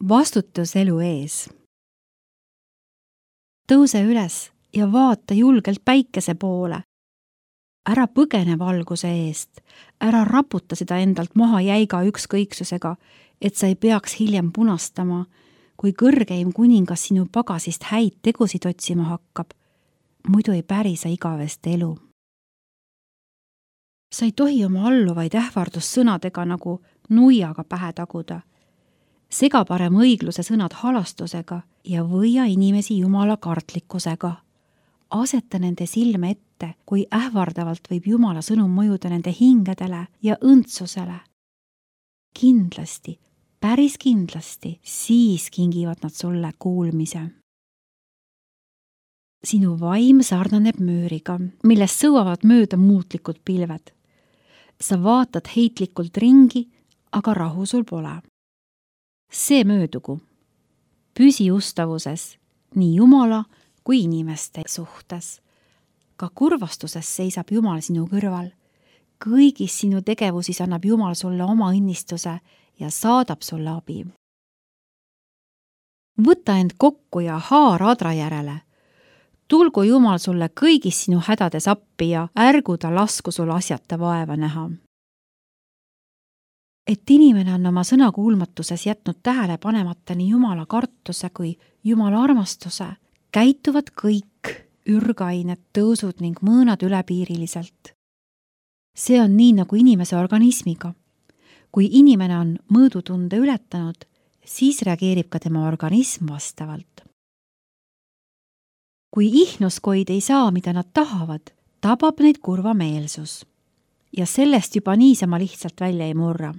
Vastutus elu ees. Tõuse üles ja vaata julgelt päikese poole. Ära põgene valguse eest, ära raputa seda endalt maha jäiga ükskõiksusega, et sa ei peaks hiljem punastama, kui kõrgeim kuningas sinu pagasist häid tegusid otsima hakkab. Muidu ei päri sa igavest elu. Sa ei tohi oma alluvaid ähvardussõnadega nagu nuiaga pähe taguda. Sega parem õigluse sõnad halastusega ja võia inimesi jumala kartlikkusega. Aseta nende silme ette, kui ähvardavalt võib jumala sõnum mõjuda nende hingedele ja õndsusele. Kindlasti, päris kindlasti, siis kingivad nad sulle kuulmise. Sinu vaim sarnaneb müüriga, millest sõuavad mööda muutlikud pilved. Sa vaatad heitlikult ringi, aga rahu sul pole. See möödugu. Püsi ustavuses nii jumala kui inimeste suhtes. Ka kurvastuses seisab Jumal sinu kõrval. Kõigis sinu tegevusis annab Jumal sulle oma õnnistuse ja saadab sulle abi. Võta end kokku ja haara adra järele. Tulgu Jumal sulle kõigis sinu hädades appi ja ärgu ta lasku sul asjata vaeva näha. Et inimene on oma sõnakuulmatuses jätnud tähele panemata nii Jumala kartuse kui Jumala armastuse, käituvad kõik ürgained, tõusud ning mõõnad ülepiiriliselt. See on nii nagu inimese organismiga. Kui inimene on mõõdutunde ületanud, siis reageerib ka tema organism vastavalt. Kui ihnuskoid ei saa, mida nad tahavad, tabab neid kurvameelsus. Ja sellest juba niisama lihtsalt välja ei murra.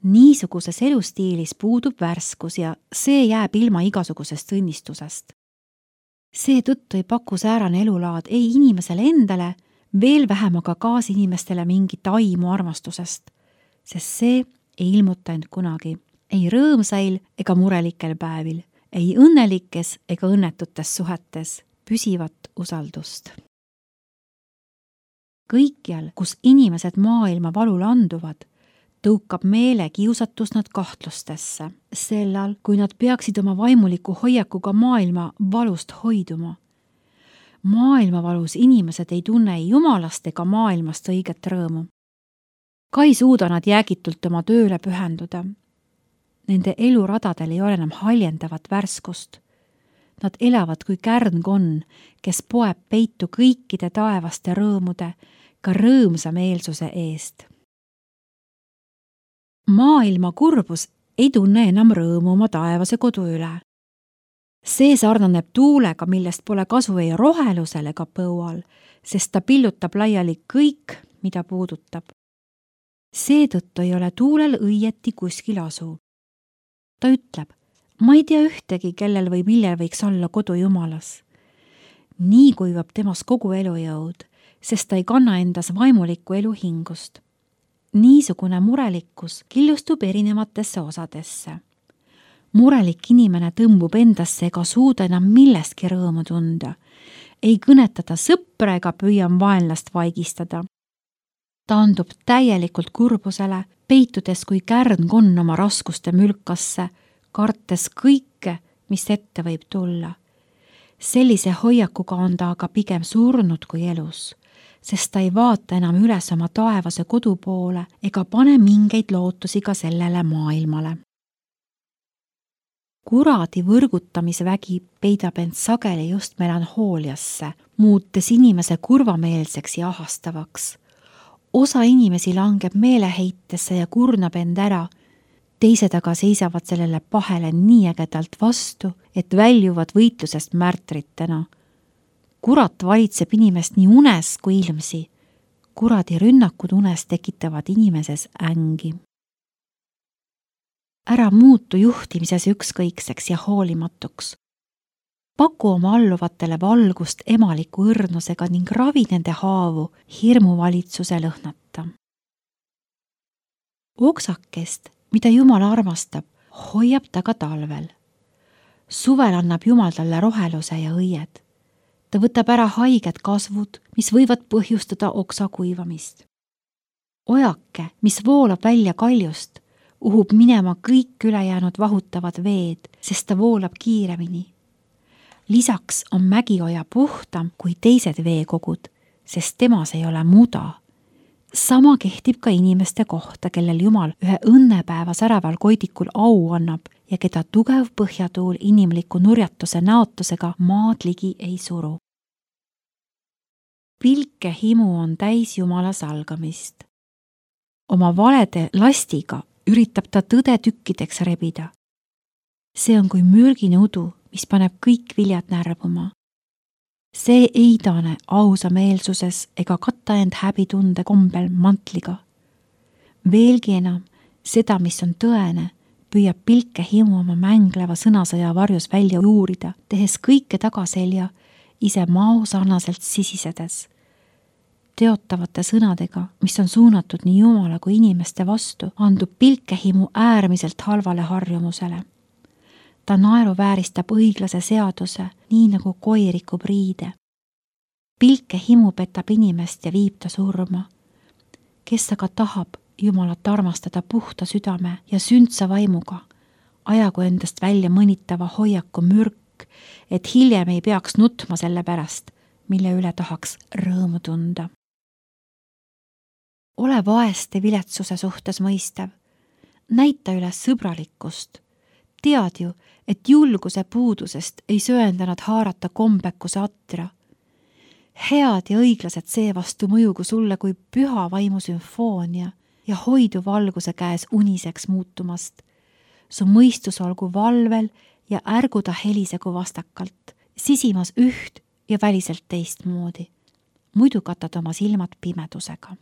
Niisuguses elustiilis puudub värskus ja see jääb ilma igasugusest õnnistusest. Seetõttu ei paku säärane elulaad ei inimesele endale, veel vähem aga kaasinimestele mingit aimu armastusest, sest see ei ilmuta end kunagi, ei rõõmsail ega murelikel päevil, ei õnnelikes ega õnnetutes suhetes püsivat usaldust. Kõikjal, kus inimesed maailma valul anduvad, tõukab meele kiusatus nad kahtlustesse, sellal, kui nad peaksid oma vaimuliku hoiakuga maailma valust hoiduma. Maailma valus inimesed ei tunne ei jumalast ega maailmast õiget rõõmu. Ka ei suuda nad jäägitult oma tööle pühenduda. Nende eluradadel ei ole enam haljendavat värskust. Nad elavad kui kärnkonn, kes poeb peitu kõikide taevaste rõõmude, ka rõõmsa meelsuse eest. Maailma kurbus ei tunne enam rõõmu oma taevase kodu üle. See sarnaneb tuulega, millest pole kasu ei rohelusel ega põual, sest ta pillutab laiali kõik, mida puudutab. Seetõttu ei ole tuulel õieti kuskil asu. Ta ütleb, ma ei tea ühtegi, kellel või millel võiks olla kodu Jumalas. Nii kuivab temas kogu elujõud, sest ta ei kanna endas vaimulikku eluhingust. Niisugune murelikkus killustub erinevatesse osadesse. Murelik inimene tõmbub endasse ega suuda enam millestki rõõmu tunda. Ei kõnetada sõpra ega püüa vaenlast vaigistada. Ta andub täielikult kurbusele, peitudes kui kärnkonn oma raskuste mülkasse, kartes kõike, mis ette võib tulla. Sellise hoiakuga on ta aga pigem surnud kui elus, sest ta ei vaata enam üles oma taevase kodu poole ega pane mingeid lootusi ka sellele maailmale. Kuradi võrgutamisvägi peidab end sageli just melanhooliasse, muutes inimese kurvameelseks ja ahastavaks. Osa inimesi langeb meeleheitesse ja kurnab end ära, teised aga seisavad sellele pahele nii ägedalt vastu, et väljuvad võitlusest märtritena. Kurat valitseb inimest nii unes kui ilmsi. Kuradi rünnakud unes tekitavad inimeses ängi. Ära muutu juhtimises ükskõikseks ja hoolimatuks. Paku oma alluvatele valgust emaliku õrnusega ning ravi nende haavu hirmuvalitsuse lõhnata. Oksakest, mida Jumal armastab, hoiab ta ka talvel. Suvel annab Jumal talle roheluse ja õied. Ta võtab ära haiged kasvud, mis võivad põhjustada oksa kuivamist. Ojake, mis voolab välja kaljust, uhub minema kõik ülejäänud vahutavad veed, sest ta voolab kiiremini. Lisaks on mägioja puhtam kui teised veekogud, sest temas ei ole muda. Sama kehtib ka inimeste kohta, kellel Jumal ühe õnnepäeva säraval koidikul au annab ja keda tugev põhjatuul inimliku nurjatuse näotusega maad ligi ei suru. Pilke himu on täis Jumala salgamist. Oma valede lastiga üritab ta tõde tükkideks rebida. See on kui mürgine udu, mis paneb kõik viljad närvuma. See ei tane ausa meelsuses ega katta end häbitunde kombel mantliga. Veelgi enam, seda, mis on tõene, püüab pilke himu oma mängleva sõnasõja varjus välja uurida, tehes kõike tagaselja, ise mao sarnaselt sisisedes. Teotavate sõnadega, mis on suunatud nii Jumala kui inimeste vastu, andub pilkehimu äärmiselt halvale harjumusele. Ta naeruvääristab õiglase seaduse, nii nagu koer rikub riide. Pilkehimu petab inimest ja viib ta surma. Kes aga tahab Jumalat armastada puhta südame ja sündsa vaimuga, ajagu endast välja mõnitava hoiaku mürk, et hiljem ei peaks nutma selle pärast, mille üle tahaks rõõmu tunda. Ole vaeste viletsuse suhtes mõistav. Näita üles sõbralikkust. Tead ju, et julguse puudusest ei söendanud haarata kombekuse atra. Head ja õiglased seevastu mõjugu sulle kui püha vaimu sümfoonia ja hoidu valguse käes uniseks muutumast. Su mõistus olgu valvel ja ärgu ta helisegu vastakalt, sisimas üht ja väliselt teistmoodi. Muidu katad oma silmad pimedusega.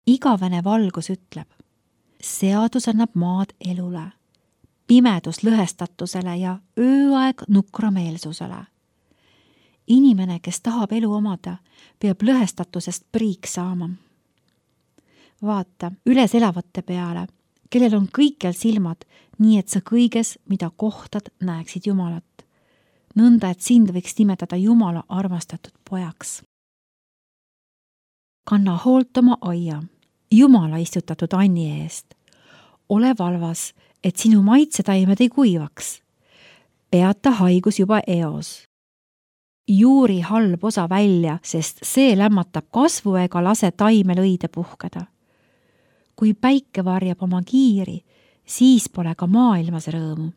Igavene valgus ütleb, seadus annab maad elule, pimedus lõhestatusele ja ööaeg nukrameelsusele. Inimene, kes tahab elu omada, peab lõhestatusest priik saama. Vaata üles elavate peale, kellel on kõikjal silmad, nii et sa kõiges, mida kohtad, näeksid Jumalat. Nõnda, et sind võiks nimetada Jumala armastatud pojaks. Kanna hoolt oma aia, Jumala istutatud anni eest. Ole valvas, et sinu maitsetaimed ei kuivaks. Peata haigus juba eos. Juuri halb osa välja, sest see lämmatab kasvu ega lase taimel õide puhkeda. Kui päike varjab oma kiiri, siis pole ka maailmas rõõmu.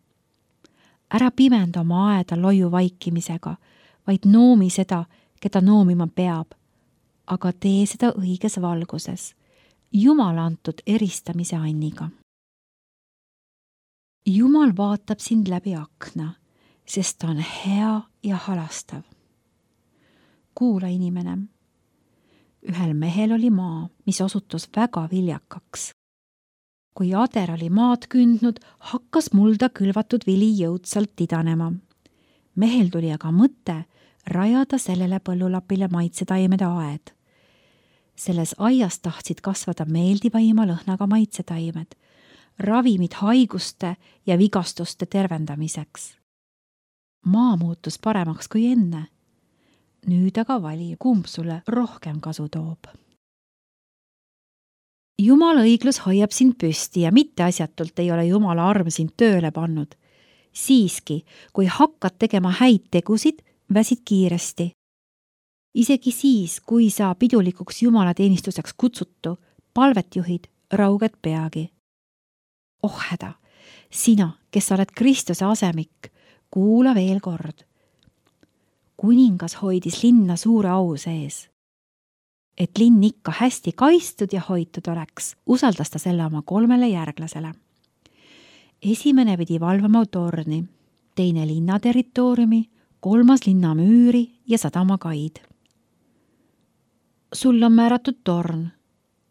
Ära pimenda oma aeda loiu vaikimisega, vaid noomi seda, keda noomima peab, aga tee seda õiges valguses, Jumala antud eristamise anniga. Jumal vaatab sind läbi akna, sest ta on hea ja halastav. Kuula, inimene. Ühel mehel oli maa, mis osutus väga viljakaks. Kui ader oli maad kündnud, hakkas mulda külvatud vili jõudsalt idanema. Mehel tuli aga mõte rajada sellele põllulapile maitsetaimede aed. Selles aias tahtsid kasvada meeldiva imalõhnaga maitsetaimed, ravimid haiguste ja vigastuste tervendamiseks. Maa muutus paremaks kui enne. Nüüd aga vali, kumb sulle rohkem kasu toob. Jumala õiglus hoiab sind püsti ja mitte asjatult ei ole Jumala arm sind tööle pannud. Siiski, kui hakkad tegema häid tegusid, väsid kiiresti. Isegi siis, kui sa pidulikuks Jumala teenistuseks kutsutu, palvet juhid, rauged peagi. Oh häda, sina, kes oled Kristuse asemik, kuula veel kord. Kuningas hoidis linna suure au sees. Et linn ikka hästi kaitstud ja hoitud oleks, usaldas ta selle oma 3 järglasele. Esimene pidi valvama torni, teine linna territooriumi, 3 linna müüri ja sadamakaid. Sul on määratud torn,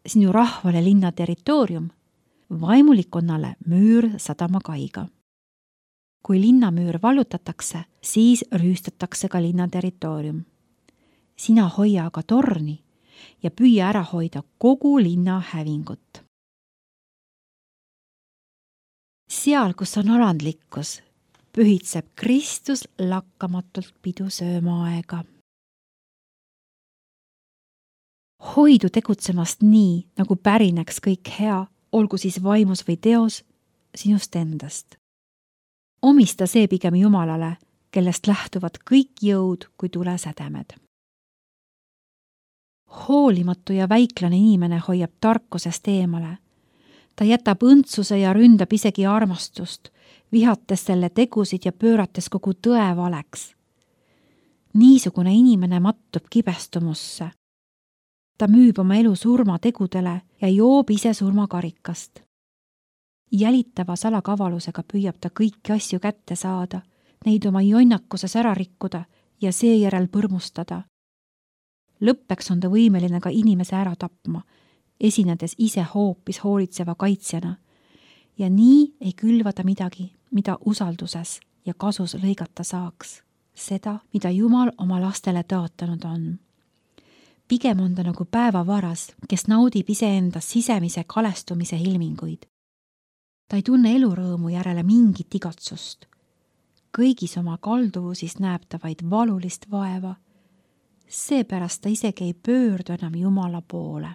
sinu rahvale linna territoorium, vaimulikkonnale müür sadamakaiga. Kui linnamüür vallutatakse, siis rüüstatakse ka linna territoorium. Sina hoia aga torni ja püüa ära hoida kogu linna hävingut. Seal, kus on alandlikkus, pühitseb Kristus lakkamatult pidu sööma aega. Hoidu tegutsemast nii, nagu pärineks kõik hea, olgu siis vaimus või teos, sinust endast. Omista see pigem Jumalale, kellest lähtuvad kõik jõud kui tulesädemed. Hoolimatu ja väiklane inimene hoiab tarkusest eemale. Ta jätab õndsuse ja ründab isegi armastust, vihates selle tegusid ja pöörates kogu tõe valeks. Niisugune inimene mattub kibestumusse. Ta müüb oma elu surmategudele ja joob ise surmakarikast. Jälitava salakavalusega püüab ta kõiki asju kätte saada, neid oma jonnakuses ära rikkuda ja seejärel põrmustada. Lõppeks on ta võimeline ka inimese ära tapma, esinedes ise hoopis hoolitseva kaitsjana. Ja nii ei külva ta midagi, mida usalduses ja kasus lõigata saaks. Seda, mida Jumal oma lastele tõotanud on. Pigem on ta nagu päevavaras, kes naudib iseendas sisemise kalestumise ilminguid. Ta ei tunne elurõõmu järele mingit igatsust. Kõigis oma kalduvusis näeb ta vaid valulist vaeva. Seepärast ta isegi ei pöördu enam Jumala poole.